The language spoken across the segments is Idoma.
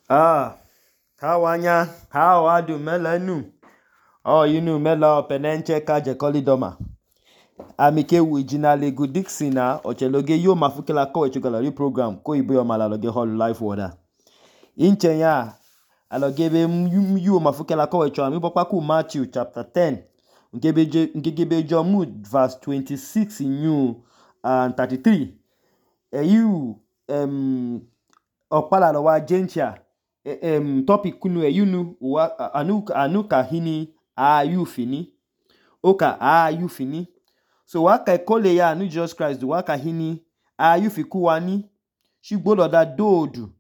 Hawanya, how adu melanu. Oh, mela penenche kaje kolidoma. Amike wijina legu Dixina, ocheloge yo mafukela ko echugala program ko ibo yo malaloge hall life water. Inchenya alogebe yu mafukela ko echo ami popaku Matthew chapter 10. Ngebe Jomu verse 26 in and 33. Okpala lo wa jencha topic kunu anuka hini fini oka fini so waka kole ya anu Jesus Christ waka hini fikuwani shigbolo da dodu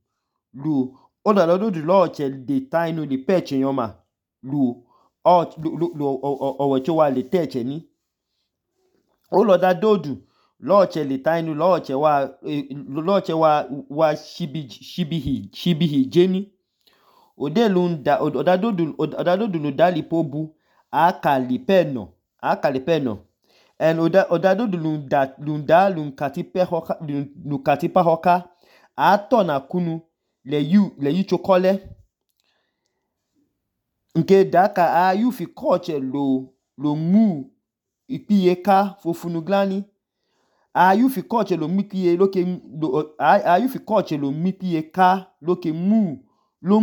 lu oda dodu lo che de tainu de peche yoma lu owecho wa le teche ni oloda dodu loche le tainu loche wa shibihi jeni odadodu no dali pobu akalipeno and odadodu lunkatipa hoka atona kunu le yu chokole nke daka fi koche lo mu ipiye ka fofunu glani fi koche lo mipiye loke fi koche lo mipiye ka loke lo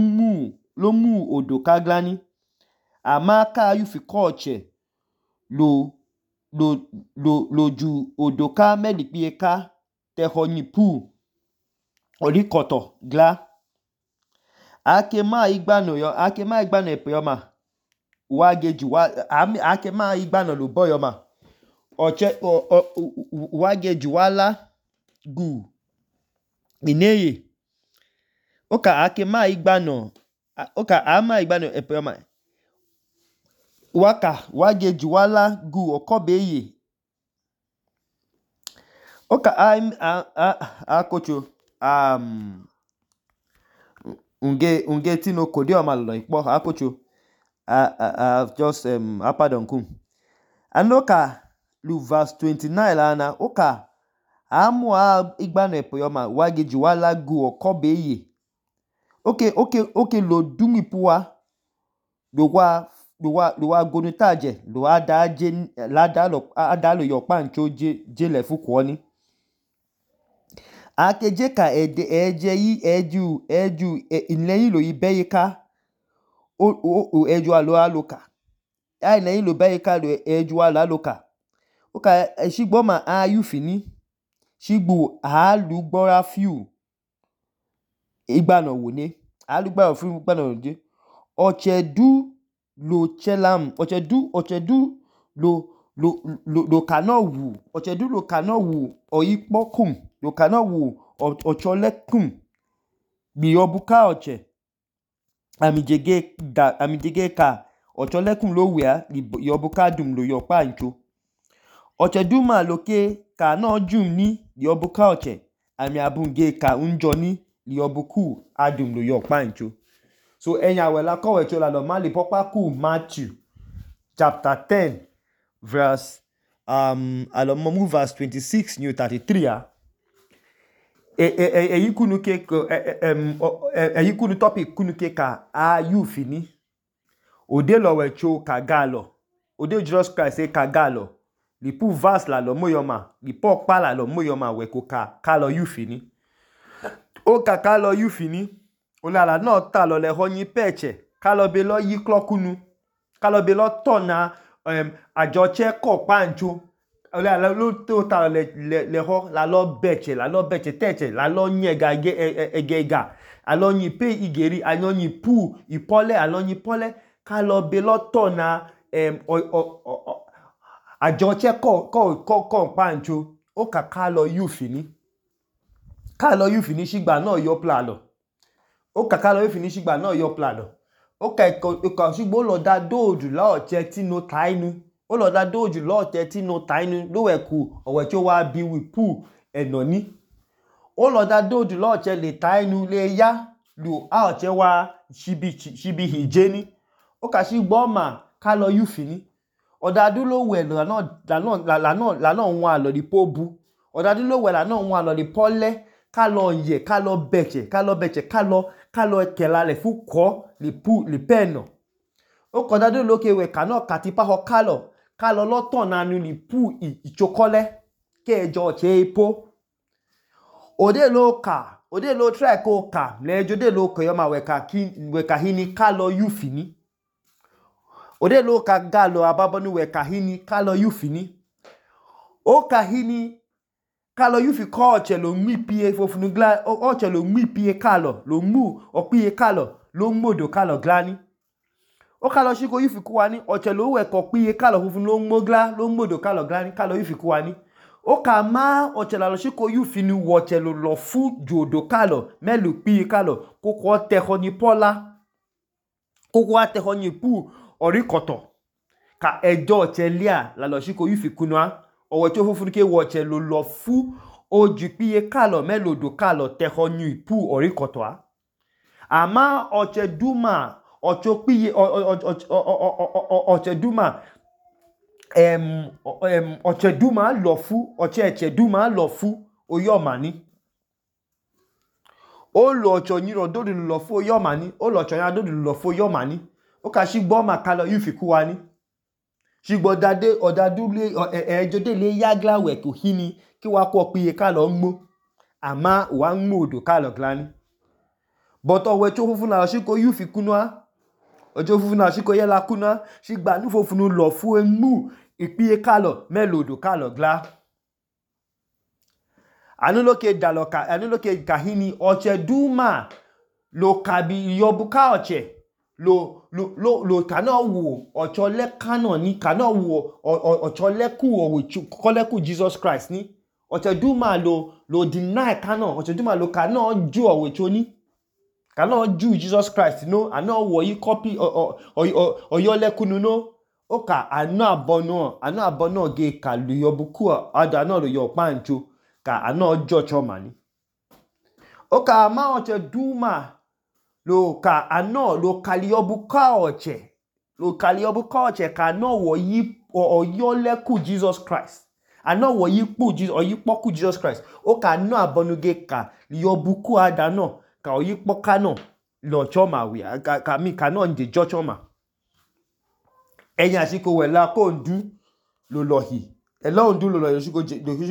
mu odoka glani amaka fi koche lo ju odoka medipiye ka tehonyi pu olikoto gla akema igbano epeyoma wageju akema igbano lo boyoma wageju wala gu ineye ama igbano epeyoma wageju wala gu okobeye akocho unge tino kodioma lo ikpo akocho just pardon kum anoka lu verse 29 lana oka amu igbano epeyoma wageju wala gu okobeye okay lo dumi puwa lo wa gonutaje lo adalo yokpa ncho jele fukwoni akeje ka eju inleyin lo ibeyika eju alo aloka inleyin lo beyika lo eju alo aloka oka shigboma fini shigbu alugbora few igbano wone alugbora few igbano wone ochedu lo chelam ochedu lo kano wu oyipokum lo kano wu ocholekum biyobuka oche amijege ka ocholekum lo wea yobuka dum lo yokpa ncho ochedu ma loke ka no jum ni yobuka oche ami abunge ka unjo ni yobuku adum lo yokpa ncho so enya wela kowe chola lo mali popaku Matthew chapter 10 verse alomomu verse 26 new 33 eyikunu topic kunu ke ka fini ode lo wecho kagalo ode Jesus Christ kagalo lipu verse la lo moyoma lipo pala lo moyoma weko ka lo fini o ka lo fini olala no ta lo le honyi peche ka lo be lo yiklokunu ka lo be lo tona ajoche ko pancho olala lo to ta le ho la lo beche teche la lo nyega egega alonyi pe igeri alonyi pu ipole alonyi pole ka lo be lo tona ajoche ko pancho o ka lo fini shigba no yo plalo o ka lo fini shigba no yo plalo o ka shigbo lo da doju la oche ti no tainu o lo da doju lo oche ti no tainu lo weku owecho wa bi wi pu enoni o lo da doju lo oche le tainu le ya lu a oche wa shibi hijeni o ka shigbo ma ka lo fini odadu lo we la no nwa lo di pobu odadu lo we la no nwa lo di pole kalo ye kalo beche kalo kela le fu ko li peno oko dadu lo ke we kano katipa ho kalo lo tonanu li pu ichokole ke ejo che ipo ode lo try ko ka le jode lo ko yo ma we ka hini kalo yufini ode lo ka galo ababonu we ka hini kalo yufini o ka hini kalo yufi ko oche lo nmi pie fofunu gla oche lo nmi pie kalo lo mu opie kalo lo modo kalo glani o kalo shiko yufi kuwani oche lo we ko pie kalo fofunu lo mogla lo modo kalo glani kalo yufi kuwani o ka ma oche la lo shiko yufi ni woche lo fu jodo kalo melu pie kalo koko te honi pola koko ate honi pu orikoto ka ejo oche lia la lo shiko yufi kunwa owecho fofunu ke woche lo fu oju pie kalo melodo kalo te honi pu orikoto ama oche duma ocho pie oche duma oche duma lo fu oche eche duma lo fu oyomani o lo ocho nyiro dodu lo fu oyomani o lo ocho nya dodu lo fu oyomani o ka shigbo ma kalo yufi kuwani shigbo dade odadu le ejode le yagla we ko hini ki wa ko pie kalo nmo ama wa nmodo kalo glani but owecho fofunu la shiko yufi kunwa ojo fofunu la shiko yela kunwa shigba nu fofunu lo fu emu ipie kalo melodo kalo gla anu lo ke kahini oche duma lo kabi yobuka oche lo kana wo ocho le kano ni kana wo ocho le ku o kole ku Jesus Christ ni oche duma lo deny kano oche duma lo kana ju owecho ni kana ju Jesus Christ no ana wo yi copy oyo le kunu no oka anu abono ge kalu yobuku ada na lo yo pancho ka ana jocho mani oka ma oche duma lo ka ano lo kaliobuka oche ka no wo yi oyo le ku Jesus Christ ano wo yi pu Jesus oyi po ku Jesus Christ o ka no abonuge ka yobuku ada no ka oyi po ka no lo choma wi ka mi ka no nje jo choma eyan siko we la ko ndu lo lohi elo ndu lo lohi siko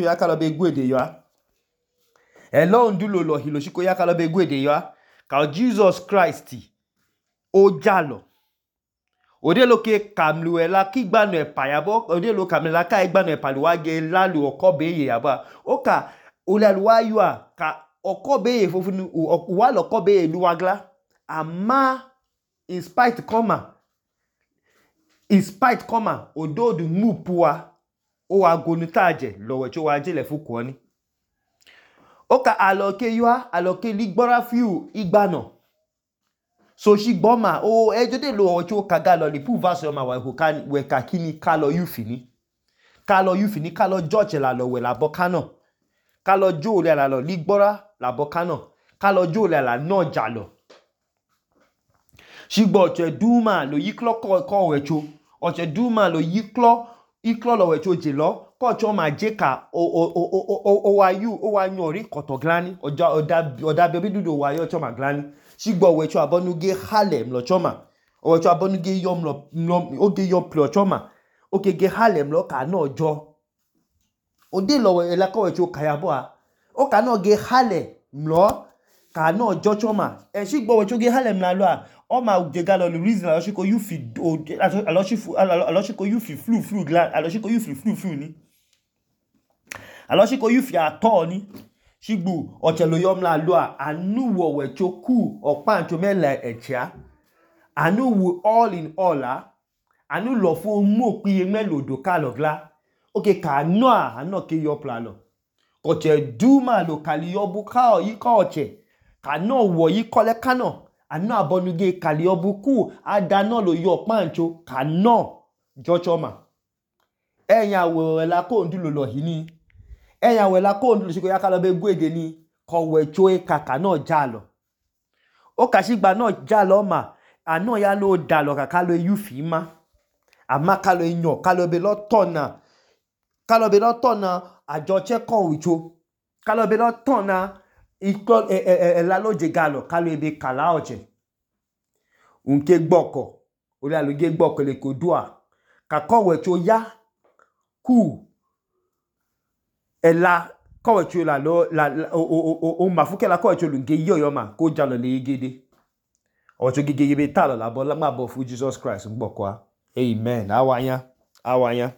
ya ka lo be gwede yo elo ndu lo lohi lo siko ya ka lo be gwede yo ka Jesus Christ o jalo ode lo ke kamlu ela ki gbanu epa yabo ode lo kamlu la ka gbanu epa lo wa ge lalu okobe ye yaba o ka olalu wa yo ka okobe ye fofunu wa lo kobe ye luwagla ama in spite koma ododu mupua o wa gonu taje lo wecho wa jele fuko ni oka aloke ligbora fiu igbano so shigbo ma o ejode lo ocho kaga lo li pu verse ma we ka kini kalo yufini kalo george la lo we la bokano kalo jo le la lo ligbora la bokano kalo jo le la no jalo shigbo oche duma lo yiklo ko wecho oche duma lo yiklo lo wecho jelo ko cho ma je ka o wa nyori kotoglani oda bebi dudo wa yo cho ma glani shigbo wecho abonuge halem lo choma owecho abonuge yom lo oge yo plo choma oke ge halem lo ka no jo ode lo we la ko wecho kayabo o ka no ge hale lo ka no jo choma shigbo wecho ge halem la lo o ma je ga lo reason la shiko yufi alosiko yufi flu gla alosiko yufi flu ni alosiko yufi ato ni shigbu ochelo yom la lo anu wo wecho ku opancho mele echia anu wo all in all anu lo fo mo piye melodo kalo gla oke ka no ke yo plano oche duma lo kali yobu ka yi ka oche ka no wo yi kole kano anu abonuge kali obuku ada no lo yo pancho ka no jochoma eyan wo la ko ndu lo hini eyan we la ko ndu siko ya ka lo be gwede ni ko wecho kaka no jalo o ka shigba no jalo ma ano ya lo dalo kaka lo yufi ma ama ka lo yan ka lo be lo tona ajo che ko wicho ka lo be lo tona ẹla lọje galọ kalọ ebe kala ọjẹ nke gbọkọ olẹ ge gbọkọ leko dua kakọwọicho ya ku ẹla kọwọicho omafu kẹla kọwọicho lunge yọ ọma ko jalọ leyegede. Ọwọicho gegege be talọ labọ nmabọ fu Jesus Christ ngbọkọ a. Amen. Awanya.